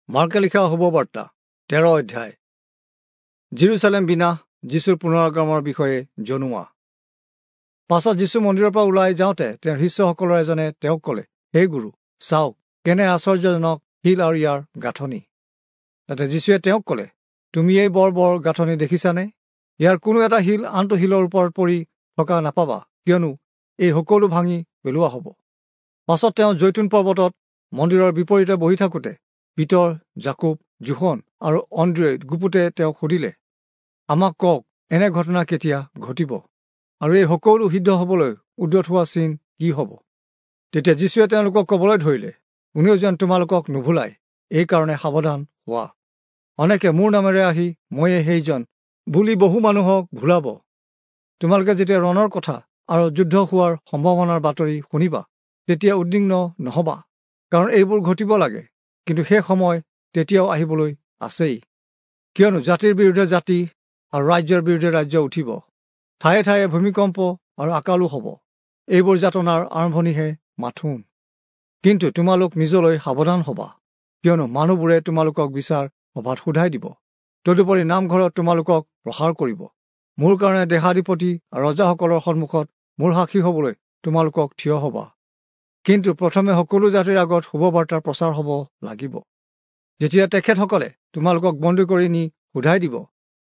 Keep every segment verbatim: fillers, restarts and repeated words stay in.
মাৰ্কে লিখা শুভবাৰ্তা তেৰ অধ্যায়। যিৰূচালেম বিনাশ, যীশুৰ পুনৰাগমনৰ বিষয়ে জনোৱা। পাছত যীশু মন্দিৰৰ পৰা ওলাই যাওঁতে তেওঁৰ শিষ্যসকলৰ এজনে তেওঁক ক'লে, হে গুৰু, চাওক কেনে আশ্চৰ্যজনক শিল আৰু ইয়াৰ গাঁথনি। তাতে যীশুৱে তেওঁক ক'লে, তুমি এই বৰ বৰ গাঁথনি দেখিছানে? ইয়াৰ কোনো এটা শিল আনটো শিলৰ ওপৰত পৰি থকা নাপাবা, কিয়নো এই সকলো ভাঙি পেলোৱা হ'ব। পাছত তেওঁ জৈতুন পৰ্বতত মন্দিৰৰ বিপৰীতে বহি থাকোঁতে পিতৰ, যাকোব, যোহন আৰু অন্দ্ৰিয়ই গুপুতে তেওঁক সুধিলে, আমাক কওক, এনে ঘটনা কেতিয়া ঘটিব আৰু এই সকলো সিদ্ধ হ'বলৈ উদ্যত হোৱা চিন কি হ'ব? তেতিয়া যীশুৱে তেওঁলোকক ক'বলৈ ধৰিলে, কোনেও যেন তোমালোকক নুভুলায়, এইকাৰণে সাৱধান হোৱা। অনেকে মোৰ নামেৰে আহি ময়ে সেইজন বুলি বহু মানুহক ভুলাব। তোমালোকে যেতিয়া ৰণৰ কথা আৰু যুদ্ধ হোৱাৰ সম্ভাৱনাৰ বাতৰি শুনিবা, তেতিয়া উদ্বিগ্ন নহবা, কাৰণ এইবোৰ ঘটিব লাগে, কিন্তু সেই সময় তেতিয়াও আহিবলৈ আছেই। কিয়নো জাতিৰ বিৰুদ্ধে জাতি আৰু ৰাজ্যৰ বিৰুদ্ধে ৰাজ্য উঠিব, ঠায়ে ঠায়ে ভূমিকম্প আৰু আকালো হ'ব। এইবোৰ যাতনাৰ আৰম্ভণিহে মাথোন। কিন্তু তোমালোক নিজলৈ সাৱধান হবা, কিয়নো মানুহবোৰে তোমালোকক বিচাৰ সভাত সোধাই দিব, তদুপৰি নামঘৰত তোমালোকক প্ৰহাৰ কৰিব। মোৰ কাৰণে দেশাধিপতি আৰু ৰজাসকলৰ সন্মুখত মোৰ সাক্ষী হ'বলৈ তোমালোকক থিয় হবা। কিন্তু প্ৰথমে সকলো জাতিৰ আগত শুভবাৰ্তাৰ প্ৰচাৰ হ'ব লাগিব। যেতিয়া তেখেতসকলে তোমালোকক বন্দী কৰি নি সোধাই দিব,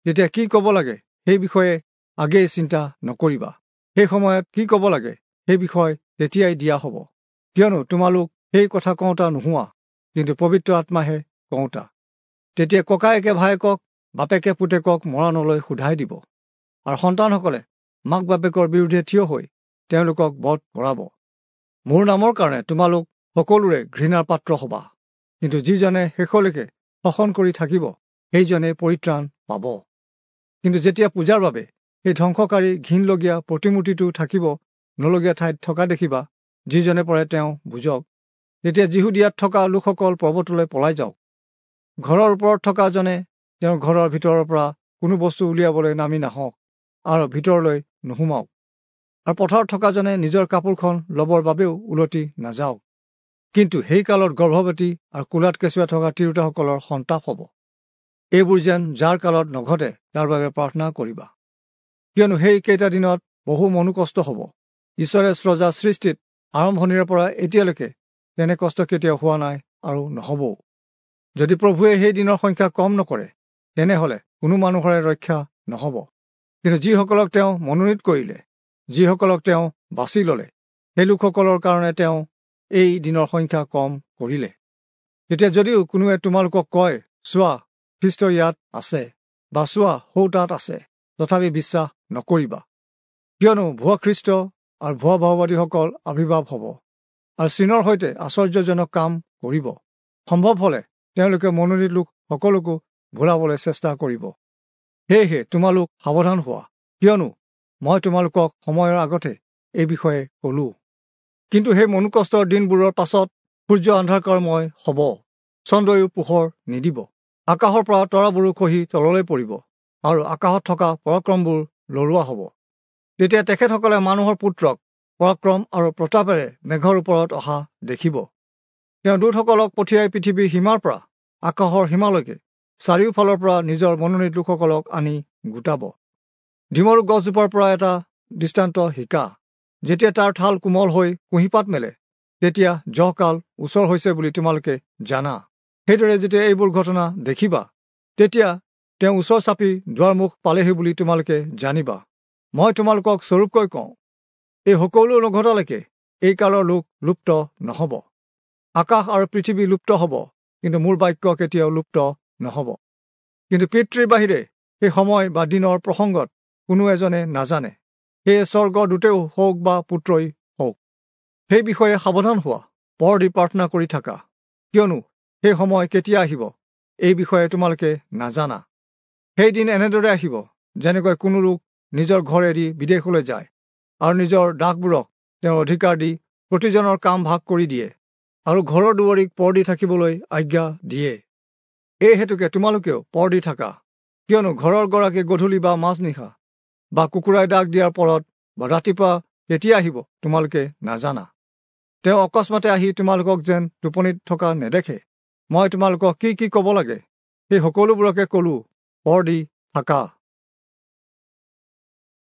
তেতিয়া কি ক'ব লাগে সেই বিষয়ে আগেয়ে চিন্তা নকৰিবা। সেই সময়ত কি ক'ব লাগে সেই বিষয় তেতিয়াই দিয়া হ'ব, কিয়নো তোমালোক সেই কথা কওঁতা নোহোৱা, কিন্তু পবিত্ৰ আত্মাহে কওঁতা। তেতিয়া ককায়েকে ভায়েকক, বাপেকে পুতেকক মৰণলৈ সোধাই দিব, আৰু সন্তানসকলে মাক বাপেকৰ বিৰুদ্ধে থিয় হৈ তেওঁলোকক বধ কৰাব। মোৰ নামৰ কাৰণে তোমালোক সকলোৰে ঘৃণাৰ পাত্ৰ হবা, কিন্তু যিজনে শেষলৈকে শাসন কৰি থাকিব, সেইজনে পৰিত্ৰাণ পাব। কিন্তু যেতিয়া পূজাৰ বাবে সেই ধ্বংসকাৰী ঘিণলগীয়া প্ৰতিমূৰ্তিটো থাকিব নলগীয়া ঠাইত থকা দেখিবা, যিজনে পৰে তেওঁ বুজক। তেতিয়া যিহুদীয়াত থকা লোকসকল পৰ্বতলৈ পলাই যাওক। ঘৰৰ ওপৰত থকা জনে তেওঁৰ ঘৰৰ ভিতৰৰ পৰা কোনো বস্তু উলিয়াবলৈ নামি নাহক আৰু ভিতৰলৈ নোসোমাওক, আৰু পথাৰত থকাজনে নিজৰ কাপোৰখন ল'বৰ বাবেও উলটি নাযাওক। কিন্তু সেই কালত গৰ্ভৱতী আৰু কোলাত কেঁচুৱা থকা তিৰোতাসকলৰ সন্তাপ হ'ব। এইবোৰ যেন যাৰ কালত নঘটে তাৰ বাবে প্ৰাৰ্থনা কৰিবা, কিয়নো সেই কেইটা দিনত বহু মনোকষ্ট হ'ব। ঈশ্বৰে স্ৰজা সৃষ্টিত আৰম্ভণিৰে পৰা এতিয়ালৈকে তেনে কষ্ট কেতিয়াও হোৱা নাই আৰু নহ'বও। যদি প্ৰভুৱে সেই দিনৰ সংখ্যা কম নকৰে, তেনেহ'লে কোনো মানুহৰে ৰক্ষা নহ'ব। কিন্তু যিসকলক তেওঁ মনোনীত কৰিলে, যিসকলক তেওঁ বাছি ল'লে, সেই লোকসকলৰ কাৰণে তেওঁ এই দিনৰ সংখ্যা কম কৰিলে। তেতিয়া যদিও কোনোৱে তোমালোকক কয়, চোৱা খ্ৰীষ্ট ইয়াত আছে, বা চোৱা সৌ তাত আছে, তথাপি বিশ্বাস নকৰিবা। কিয়নো ভুৱা খ্ৰীষ্ট আৰু ভুৱা ভাওবাদীসকল আৱিৰ্ভাৱ হ'ব আৰু চীনৰ সৈতে আশ্চৰ্যজনক কাম কৰিব। সম্ভৱ হ'লে তেওঁলোকে মনোনীত লোক সকলোকো ভুলাবলৈ চেষ্টা কৰিব। সেয়েহে তোমালোক সাৱধান হোৱা, কিয়নো মই তোমালোকক সময়ৰ আগতে এই বিষয়ে ক'লো। কিন্তু সেই মনোকষ্টৰ দিনবোৰৰ পাছত সূৰ্য অন্ধকাৰময় হ'ব, চন্দ্ৰয়ো পোহৰ নিদিব, আকাশৰ পৰা তৰাবোৰো খহি তললৈ পৰিব, আৰু আকাশত থকা পৰাক্ৰমবোৰ লৰোৱা হ'ব। তেতিয়া তেখেতসকলে মানুহৰ পুত্ৰক পৰাক্ৰম আৰু প্ৰতাপেৰে মেঘৰ ওপৰত অহা দেখিব। তেওঁ দূতসকলক পঠিয়াই পৃথিৱীৰ সীমাৰ পৰা আকাশৰ সীমালৈকে চাৰিওফালৰ পৰা নিজৰ মনোনীত লোকসকলক আনি গোটাব। ডিমৰু গছজোপাৰ পৰা এটা দৃষ্টান্ত শিকা। যেতিয়া তাৰ ঠাল কোমল হৈ কুঁহিপাত মেলে, তেতিয়া জহকাল ওচৰ হৈছে বুলি তোমালোকে জানা। সেইদৰে যেতিয়া এইবোৰ ঘটনা দেখিবা, তেতিয়া তেওঁ ওচৰ চাপি দুৱাৰমুখ পালেহি বুলি তোমালোকে জানিবা। মই তোমালোকক স্বৰূপকৈ কওঁ, এই সকলো নঘটালৈকে এই কালৰ লোক লুপ্ত নহ'ব। আকাশ আৰু পৃথিৱী লুপ্ত হ'ব, কিন্তু মোৰ বাক্য কেতিয়াও লুপ্ত নহ'ব। কিন্তু পিতৃৰ বাহিৰে সেই সময় বা দিনৰ প্ৰসংগত কোনো এজনে নাজানে, সেয়ে স্বৰ্গৰ দূতেও হওক বা পুত্ৰই হওক। সেই বিষয়ে সাৱধান হোৱা, পৰ দি প্ৰাৰ্থনা কৰি থাকা, কিয়নো সেই সময় কেতিয়া আহিব এই বিষয়ে তোমালোকে নাজানা। সেইদিন এনেদৰে আহিব, যেনেকৈ কোনো লোক নিজৰ ঘৰ এৰি বিদেশলৈ যায় আৰু নিজৰ দাসবোৰক তেওঁৰ অধিকাৰ দি প্ৰতিজনৰ কাম ভাগ কৰি দিয়ে আৰু ঘৰৰ দুৱাৰীক পৰ দি থাকিবলৈ আজ্ঞা দিয়ে। এই হেতুকে তোমালোকেও পৰ দি থাকা, কিয়নো ঘৰৰ গৰাকী গধূলি বা মাজনিশা বা কুকুৰাই ডাক দিয়াৰ পৰত বা ৰাতিপুৱা কেতিয়া আহিব তোমালোকে নাজানা। তেওঁ অকস্মাতে আহি তোমালোকক যেন টোপনিত থকা নেদেখে। মই তোমালোকক কি কি ক'ব লাগে সেই সকলোবোৰকে কলো। পৰ দি থাকা।